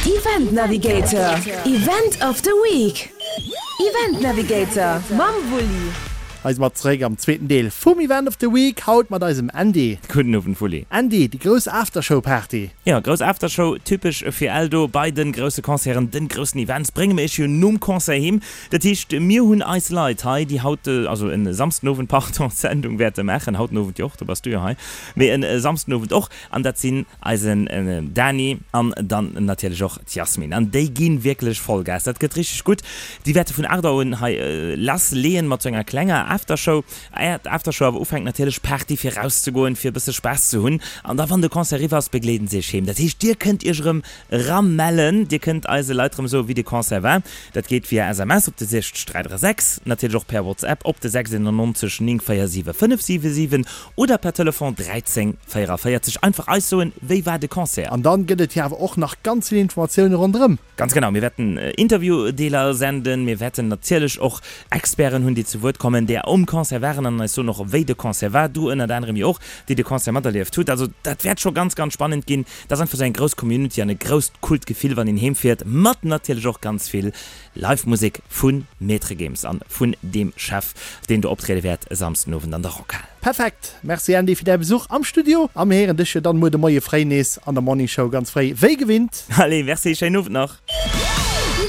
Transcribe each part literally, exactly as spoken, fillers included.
Event Navigator, Event of the Week. Event Navigator mam Wulli. Hei si mer zeréck am zweeten Deel vum Event of the Week, haut mat eisem Andy. Gudden Owend Wulli. Andy, déi grouss Aftershow Party. Jo, grouss Aftershow, typesch fir Eldo. Bei den grousse Concerten, den groussen Events brénge mir iech jo nom Concert heem. Dat heescht, mir hunn eis Leit hei, déi haut, also en Samsden Owend, pardon, d'Sendung wäerte maachen. Haut den Owend jo och, do bass du jo hei, mee en Samsden Owend och. An dat sinn eisen Dani an dann natierlech och d'Yasmine. An déi gi wierklech Vollgas. Dat gëtt richteg gutt. Déi wäerte vun aacht Auer un hei lass leeën mat sou enger klenger Aftershow. Eier d'Aftershow awer ufänkt, natierlech Party fir rauszegoen, fir e bësse Spaass ze hunn. An da wann de Concert eriwwer ass, begleeden se iech heem. Dat heescht, dir kënnt iech erëm eramellen. Dir kënnt eise Leit erëm soen, wéi de Concert war. Dat geet via S M S op de sechs dräi dräi sechs, natierlech och per WhatsApp op de sechs eenennonzeg néng véier siwe fënnef siwe siwen oder per Telefon dräizéng véieraféierzeg. Einfach eis soen, wéi war de Concert. An dann gëtt et jo awer och nach ganz vill Informatioune ronderëm. Ganz genau, mir wäerten Interviewdeeler senden, mir wäerten natierlech och Experten hunn, déi zu Wuert kommen, déi um Concert waren an eis soen och, wéi de Concert war. Du ënnert anerem jo och, déi de Concert materlieft hutt. Also dat wäert scho ganz, ganz spannend ginn. Dat ass einfach esou eng grouss Community an e grousst coolt Gefill, wann een heem fiert, mat natierlech och ganz vill Live-Musek vu Maître Gims an vun deem Chef, deen do optriede wäert e Samsden Owend an der Rockhal. Perfekt! Merci Andy fir däi Besuch am Studio a mir héieren dech jo dann muer de Moie fréi nees an der Morning Show ganz fréi wéi gewinnt. Allez, merci, schéinen Owend nach!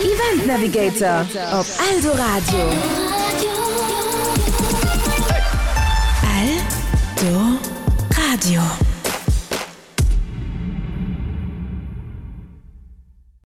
Event Navigator op Eldoradio. Eldoradio.